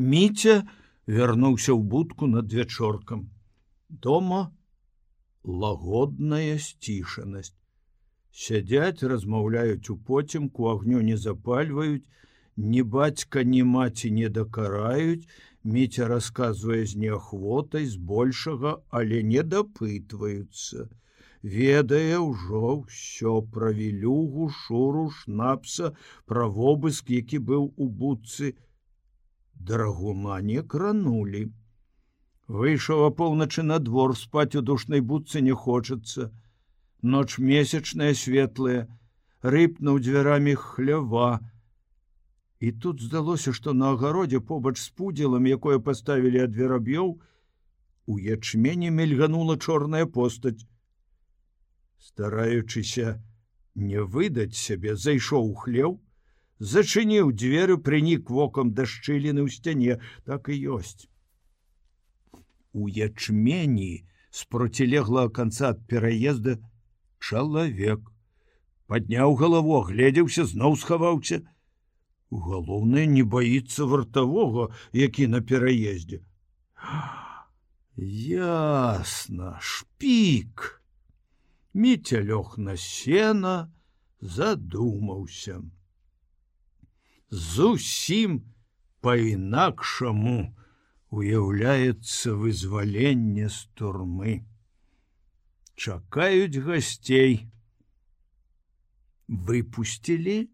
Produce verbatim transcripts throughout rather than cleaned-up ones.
Міця вярнуўся ў будку над вячоркам. Дома лагодная сцішанасць. Сядзяць, размаўляюць у поцемку, агню не запальваюць, ні бацька, ні маці не дакараюць. Міця расказвае з неахвотай, збольшага, але не дапытваюцца. Ведае ўжо ўсё пра Вілюгу, Шуру, Шнапса, пра вобыск, які быў у будцы. Драгуна не кранулі. Выйшаў апоўначы на двор, спаць у душнай будцы не хочацца. Ноч месячная светлая, рыпнуў дзвярамі хлява. І тут здалося, што на агародзе побач з пудзелам, якое паставілі ад вераб'ёў, у ячмені мільганула чорная постаць. Стараючыся не выдаць сябе, зайшоў у хлеў, зачыніў дзверы, прынік вокам да шчыліны ў сцяне. Так і ёсць. У ячмені з процілеглага канца ад пераезда чалавек. Падняў галаву, агледзеўся, зноў схаваўся. Галоўнае, не баіцца вартавога, які на пераездзе. Ясна, шпік. Міця лёг на сена, задумаўся. Зусім па-інакшаму уяўляецца вызваленне з турмы. Чакаюць гасцей. Выпусцілі,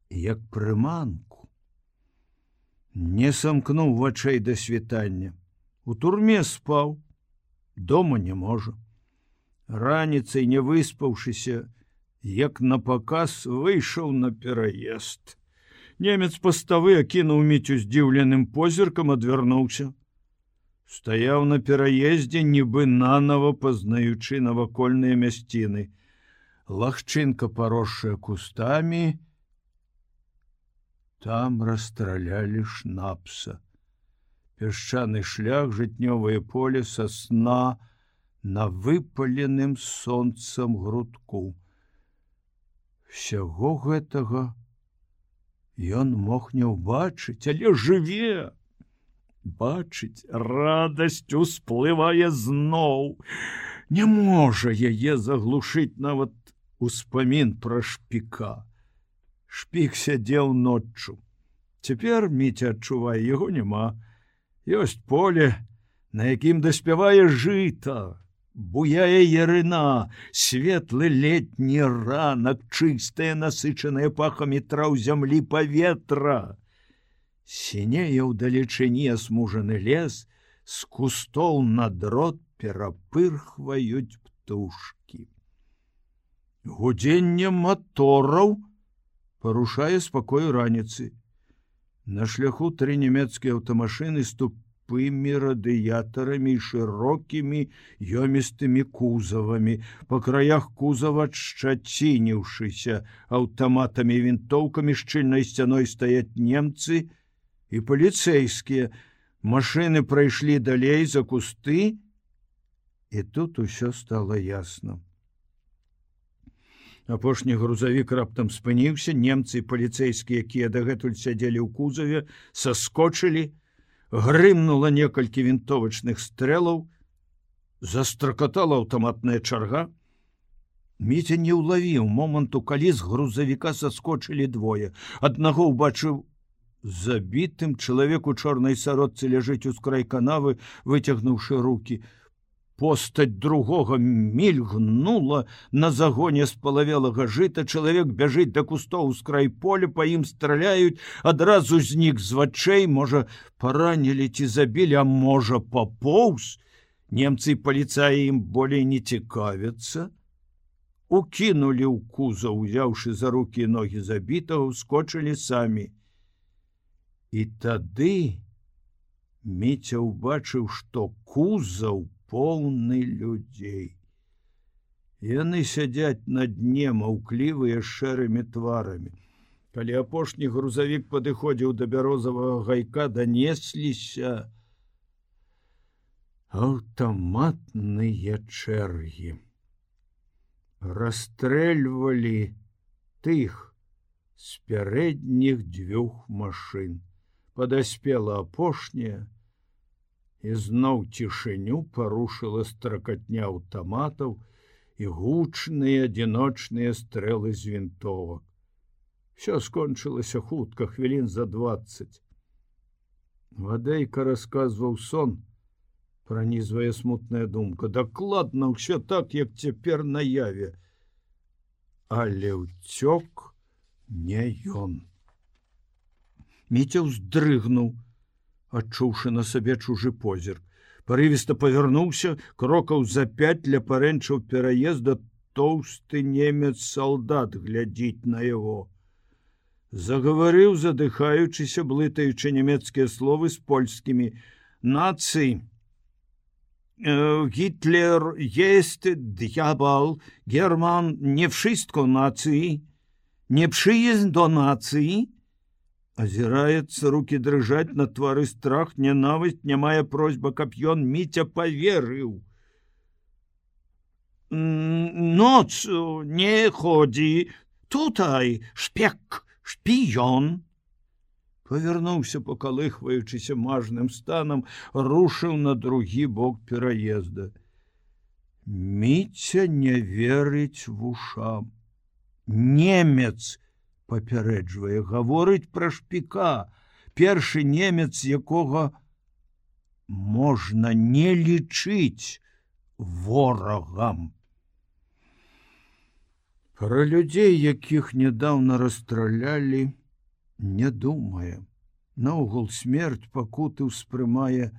як прыманку. Не самкнуў вачэй да світання. У турме спаў, дома не можа. Раніцай, не выспаўшыся, як напаказ, выйшаў на пераезд. Немец паставы акінуў Міцю здзіўленым позіркам, адвярнуўся. Стаяў на пераездзе, нібы нанава пазнаючы навакольныя мясціны. Лагчынка, паросшая кустамі, там расстралялі Шнапса. Пясчаны шлях, жытнёвае поле, сасна на выпаленым сонцам грудку. Всяго гэтага ён мог не ўбачыць, але жыве. Бачыць, радасць усплывае зноў. Не можа яе заглушыць нават успамін пра шпіка. Шпік сядзеў ноччу. Цяпер Міця адчувае, яго няма. Ёсць поле, на якім даспявае жыта. Буяе ярына, светлы летні ранак, чыстае, насычанае пахамі траў зямлі паветра. Сінее ўдалечыні асмужаны лес, з кустоў на дрот перапырхваюць птушкі. Гудзенне матораў парушае спакой раніцы. На шляху тры нямецкія аўтамашыны з тупымі радыятарамі і шырокімі ёмістымі кузавамі. Па краях кузава, шчацініўшыся аўтаматамі і вінтоўкамі, шчыльнай сцяной стаяць немцы і паліцэйскія. Машыны прайшлі далей за кусты, і тут усё стала ясна. Апошні грузавік раптам спыніўся, немцы і паліцэйскія, якія дагэтуль сядзелі ў кузаве, саскочылі, грымнула некалькі вінтовачных стрэлаў, застракатала аўтаматная чарга. Міця не ўлавіў моманту, калі з грузавіка саскочылі двое. Аднаго ўбачыў забітым, чалавек у чорнай сародцы ляжыць ускрай канавы, выцягнуўшы рукі. Постаць другога мільгнула на загоне спалавелага жыта. Чалавек бяжыць да кустоў ускрай поля, па ім страляюць, адразу знік з вачэй, можа, паранілі ці забілі, а можа, папоўз. Немцы і паліцаі ім болей не цікавяцца. Укінулі ў кузаў, узяўшы за рукі і ногі забітага, ускочылі самі. І тады Міця ўбачыў, што кузаў поўны людзей. Яны сядзяць на дне, маўклівыя, шэрымі тварамі. Калі апошні грузавік падыходзіў да бярозавага гайка, данесліся аўтаматныя чэргі. Расстрэльвалі тых з пярэдніх дзвюх машын. Падаспела апошняя, і зноў цішыню парушыла стракатня аўтаматаў і гучныя адзіночныя стрэлы з вінтовак. Всё скончылася хутка, хвілін за дваццаць. Вадайка расказваў сон, пранізвае смутная думка. Дакладна ўсё так, як цяпер наяве. Але ўцёк не ён. Міця ўздрыгнуў, адчуўшы на сабе чужы позірк. Парывіста павярнуўся, крокаў за пяць ля парэнчаў пераезда, тоўсты немец-салдат глядзіць на яго. Загаварыў, задыхаючыся, блытаючы нямецкія словы з польскімі. Нацый. Гітлер есть дьявол, Герман не wszystko нацыі, не przyjeźd до нацыі. Азіраецца, рукі дрыжаць, на твары страх, нянавісць, нямая просьба, каб ён Міця паверыў. Ноц не ходзі, тутай шпек, шпіён. Павярнуўся, пакалыхваючыся мажным станам, рушыў на другі бок пераезда. Міця не верыць вушам. Немец папярэджвае, гаворыць пра шпіка, першы немец, якога можна не лічыць ворагам. Пра людзей, якіх нядаўна расстралялі, не думае. Наогул смерць пакуты ўспрымае,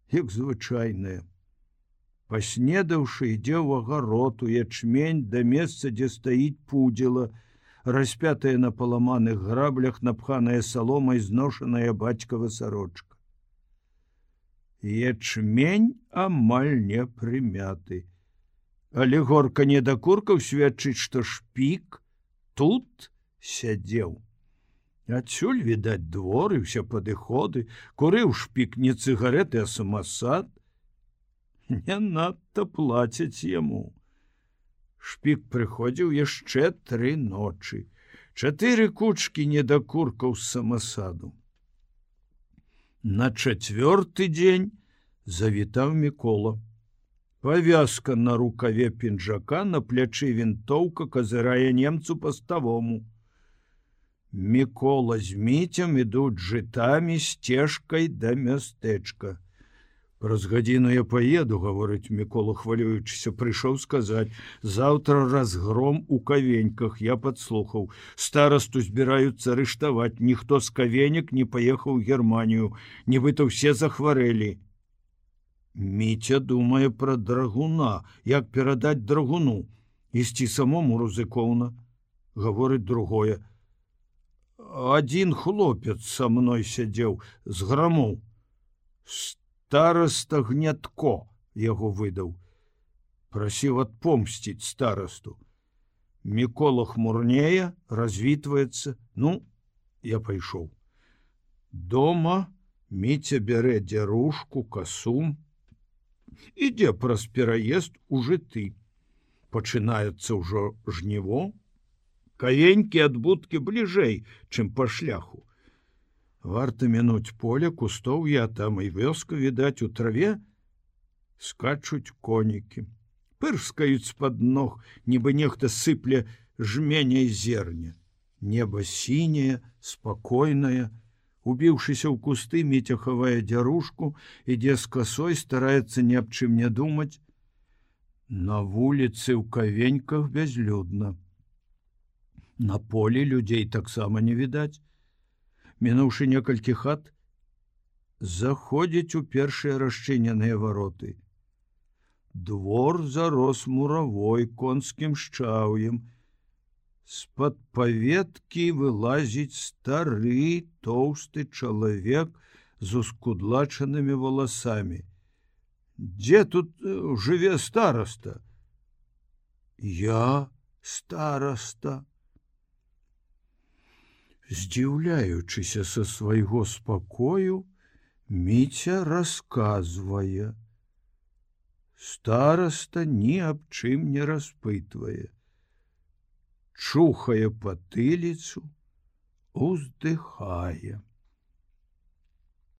як звычайная. Паснедаўшы, ідзе ў агарод, у ячмень, да месца, дзе стаіць пудзіла, распятая на паламаных граблях, напханая саломай, зношаная бацькава сарочка. Ячмень амаль не прымяты. Але горка недакуркаў сведчыць, што шпік тут сядзеў. Адсюль відаць двор і ўсе падыходы, курыў шпік не цыгареты, а самасад. Не надта плацяць яму. Шпік прыходзіў яшчэ тры ночы. Чатыры кучкі недакуркаў з самасаду. На чацвёрты дзень завітаў Мікола. Павязка на рукаве пінжака, на плячы вінтоўка, казырае немцу паставому. Мікола з Міцем ідуць жытамі сцежкай да мястэчка. Праз гадзіну я паеду, гаворыць Мікола, хвалюючыся, прыйшоў сказаць: заўтра разгром у Кавеньках, я падслухаў. Старасту збіраюцца арыштаваць, ніхто з Кавенек не паехаў у Германію, нібыта ўсе захварэлі. Міця думае пра драгуна, як перадаць драгуну. Ісці самому рызыкоўна, гаворыць другое. Адзін хлопец са мной сядзеў з грамоў. Стараста Гнятко яго выдаў. Прасіў адпомсціць старасту. Мікола хмурнее, развітваецца. Ну, я пайшоў. Дома Міця бярэ дзярушку, касу. Ідзе праз пераезд у жыты. Пачынаецца ўжо жніво. Кавенькі ад будкі бліжэй, чым па шляху. Варта мінуць поле, кустоўя, а там і вёска, відаць, у траве скачуць конікі. Пырскаюць з-пад ног, нібы нехта сыпле жменяй зерня. Неба сіняе, спакойнае. Убіўшыся ў кусты, Міця хавае дзярушку, ідзе з касой, стараецца ні аб чым не думаць. На вуліцы ў Кавеньках бязлюдна. На полі людзей таксама не відаць. Мінуўшы некалькі хат, заходзіць у першыя расчыненыя вароты. Двор зарос муравой, конскім шчаўем. З-пад паветкі вылазіць стары, тоўсты чалавек з ускудлачанымі валасамі. Дзе тут жыве стараста? Я стараста. Здзіўляючыся са свайго спакою, Міця расказвае. Стараста ні аб чым не распытвае. Чухае патыліцу, уздыхае.